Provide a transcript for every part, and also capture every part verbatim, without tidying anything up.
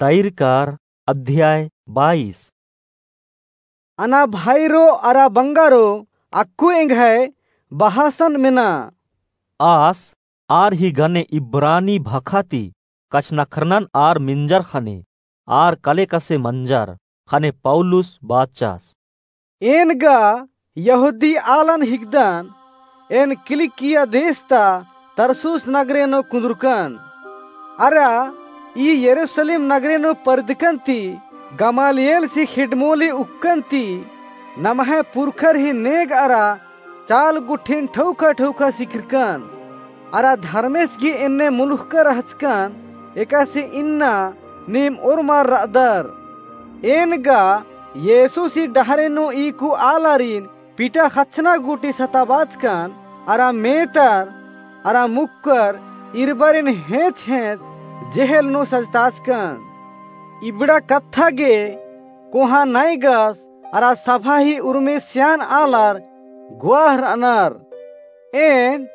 तैरकार अध्याय बाईस। अना भाईरो अरा बंगारो, अक्कु एंग्है बहासन मेना। आस आर ही गने इब्रानी भाखा ती कछनखरनन आर मिंजर ख़ने, आर कलेकसे मंजर ख़ने पौलुस बाचस। एन गा यहूदी आलन हिकदन, एन किलिकिया देश ता तरसुस नगरे नू कुन्दुरकन। अरा ई यरूसलेम नगरे नू परदकन ती गमालिएलसी खेड्डमोली उक्कन ती नम्है पुरखर ही नेग अरा चाल गुट्ठिन ठौका ठौका सिखरकन। अरा धर्मेस गे एन्ने मुलुखका रहचकन, एकासे इन्ना नीम ओर्मर रअदर। एन गा येसुसी डहरे नू ईकु आलारिन पिटा ख़च्चना गूटी सताबाचकन, अरा मेतर अरा मुक्कर इरबारिन हेंच हेंच जेहेल नू सजताचकन। इबड़ा कत्था गे कोहाँ नायगस अरा सभा ही उर्मी सियान आलर गुआह रअनर। एन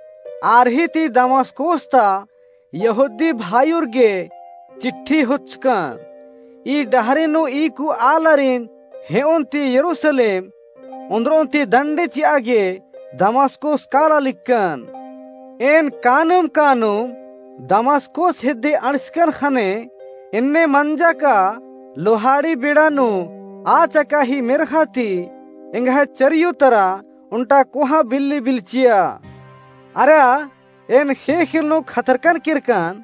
आर ही ती दमस्कोस ता यहूदी भाईर गे चिट्ठी होचकन। ई डहरे नू ईकु आलारिन हेओन ती यरूसलेम ओन्द्रोन ती दंडे चिआ गे दमस्कोस काला लिक्कन। एन कानुम कानुम दमस्कोस हेद्दे अंड़सकन ख़ने एन्ने मंजा का लोहाड़ी बेड़ा नू आ चका ही मेर्ख़ा ती एंग्है चरियो तरा ओन्टा कोहाँ बिल्ली बिल्लचिया। अरा एन ख़ेख़ेल नू खतरकन केरकन,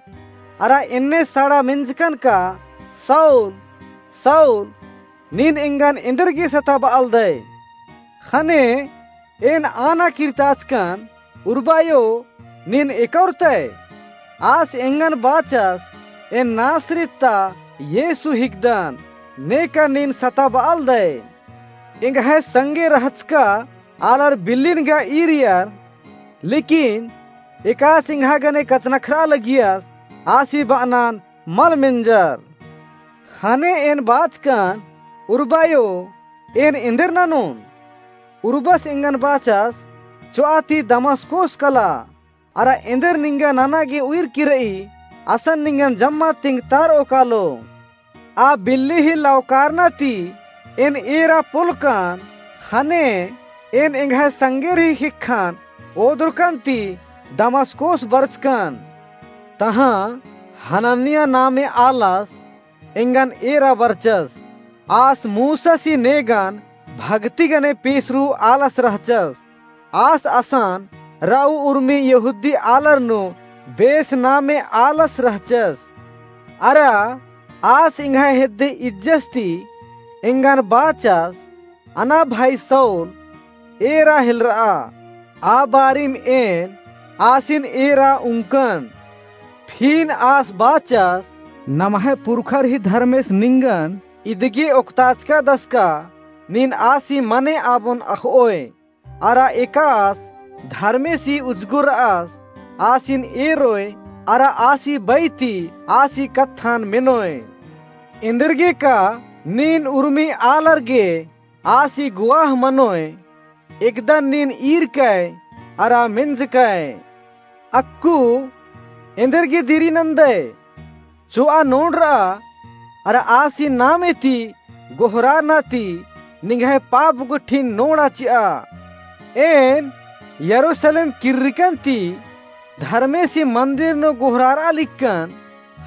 अरा एन्ने साड़ा मेंजकन का, "शाऊल, शाऊल, नीन एंगन एन्देरगे सताबआलदय?" ख़ने एन आना किर्ताचकन, "उर्बायो, नीन एका ओर्तय?" आस एंगन बाचस, "एन नासरित ता येसु हिकदन, नेका नीन सताबआलदय।" एंग्है संगे रहचका आलर बिल्लिन गा ईरियर, लेकिन एकासे एंग्है गने कछनखरआ लगियस, आसी बअनन मल मेंजर। ख़ने एन बाचकन, "उर्बायो, एन एन्देर ननोन?" उर्बस एंगन बाचस, "चोआ ती दमस्कोस कला, अरा एन्देर निंगा नना गे उइर की रई, असन निंगन जम्मा तिंगतारओ कालो।" आ बिल्ली ही लवकारना ती एन एरा पोलकन, ख़ने एन एंग्है संगेर ही ख़ेक्खन ओदुरकन ती दमस्कोस बरचकन। तहाँ हनन्याह नामे आलस एंगन एरा बरचस। आस मूसासी नेगन भगती गने पेसरू आलस रहचस। आस असन रऊ उर्मी यहूदी आलर नू बेस नामे आलस रहचस। अरा आस एंग्है हेद्दे इज्जस ती एंगन बाचस, "अना भाई शाऊल, एरा हेलरआ।" आ बारिम एन आसिन एरा उंकन। फिन आस बाचस, "नम्है पुरखर ही धर्मेस निंगन इदगे ओक्ताचका दसका, नीन आसी मने आबोन अख़ओय। अरा एकास धर्मेसी उजगुरअस, आसिन एरोय, अरा आसी बई ती आसी कत्थन मेनोय। एन्देरगे का नीन उर्मी आलर गे आसी गुआह मनोय, एकदन नीन ईरकय, अरा मेंजकय। अक्कु एन्देरगे दिरी नन्दय?" चोआ नोड़रआ, अरा आसी नामे ती गोहरारना ती निंग्है पाप गुट्ठिन नोड़ा चिआ। एन यरूसलेम किर्रकन ती धर्मेसी मन्दिर नू गोहरारआ लिक्कन,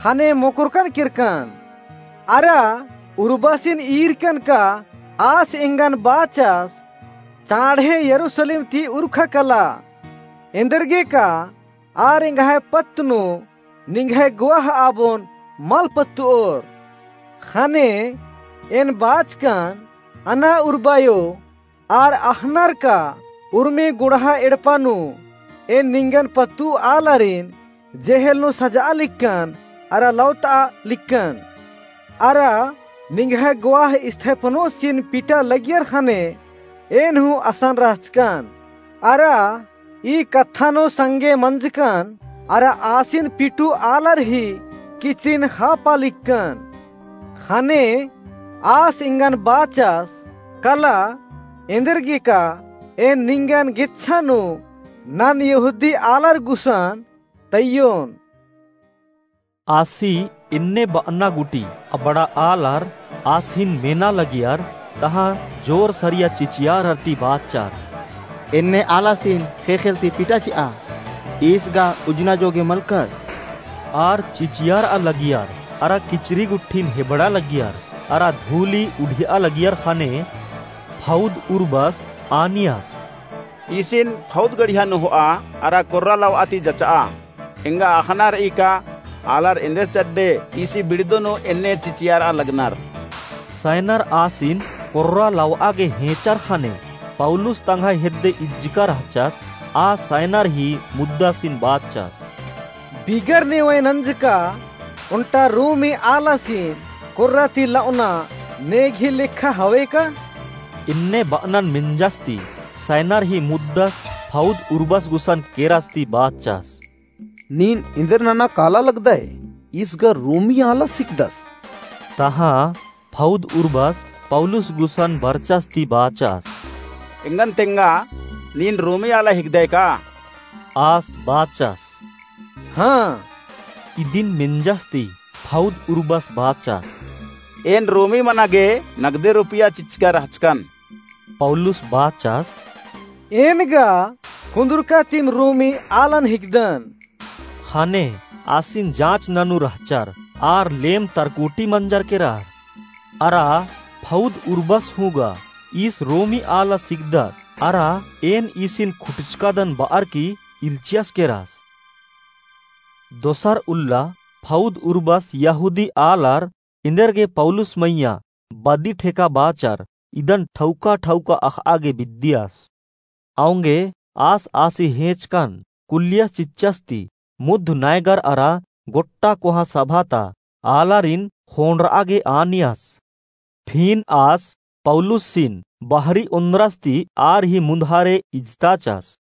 ख़ने मोकरकन केरकन। अरा उर्बसिन ईरकन का आस एंगन बाचस, "चाँड़हे यरूसलेम ती उरखा कला, एन्देरगे का आर एंग्है पत्त नू निंग्है गुआह आबोन मल पत्तओर।" ख़ने एन बाचकन, "अना उर्बायो, आर अख़नर का उर्मी गुड़हा एड़पा नू एन निंगन पत्तु आलारिन जेहेल नू सजआ लिक्कन अरा लौतआ लिक्कन। अरा निंग्है गुआह स्तेफनोसिन पिटा लगियर ख़ने एन हूँ असन रहचकन। अरा ई कत्था नू संगे मंजकन अरा आसिन पिटु आलर ही किचरिन ख़ापा लिक्कन।" ख़ने आस एंगन बाचस, "कला, एन्देरगे का एन निंगन गेच्छा नू नन यहूदी आलर गुसन तइयोन।" आसी एन्ने बअना गूटी अबड़ा आलर आसिन मेना लगियर, तहाँ जोर सरिया चिचियारर ती बाचर, एन्ने आलासिन ख़ेख़ेल ती पिटा चिआ, ईस गा उज्जना जोगे मलकस। आर चिचियारआ लगियर, अरा किचरी गुट्ठिन हेबड़ा लगियर, अरा धूली उढ़िया लगियर ख़ने फौद उर्बस आनियस। ईसिन फौद गड़िया नू होआ, अरा कोर्रा लवआ ती जचआ। एंगा अख़ना रई का, आलर एन्देर चड्डे ईसी बिड़दो नू एन्ने चिचियारआ लगनर। सैनर आसिन कोर्रा लवआ गे हेंचर ख़ने, पौलुस तंग्है हेद्दे इज्जका रहचस, आ सैनर ही मुद्दासिन बाचस। बिगर नेवय नंजका ओन्टा रोमी आलासिन कोर्रा ती लवना नेगही लेखा हवे का? एन्ने बअनन मेंजस ती सैनर ही मुद्दस फौद उर्बस गुसन केरस ती बाचस। नीन एन्देर नना काला लगदय, ईस गा रोमी आलस हिकदस। तहाँ फौद उर्बस पौलुस गुसन बरचस ती बाचस। एंगन तेंगा, नीन रोमी आला हिकदय का? आस बाचस। हाँ। इदिन मेंजस ती फौद उर्बस बाचस। एन रोमी मना गे नगदे रुपया चिच्चका रहचकन। पौलुस बाचस। एन गा कुन्दुरका तिम रोमी आलन हिकदन। ख़ने आसिन जाँच ननू रहचर, आर लेम तरकोटी मंजर केरर। अरा फौद उर्बस हूँ गा ईस रोमी आलस हिकदस, अरा एन ईसिन खुटचकादन बअर की इल्चियस केरस। दोसर उल्ला फौद उर्बस यहूदी आलर एन्देर गे पौलुस मइय्याँ बदी ठेका बाचर, इदन ठौका ठौका अख़आ गे बिद्दियस। औंगे आस आसी हेंचकन कुल्लियस चिच्चस ती मुद्ध नैगर अरा गोट्टा कोहाँ सभा ता आलारिन ख़ोंड़रआ गे आनियस। फिन आस पौलुसिन बहरी ओन्द्रस ती आर ही मुन्धारे इजताचस।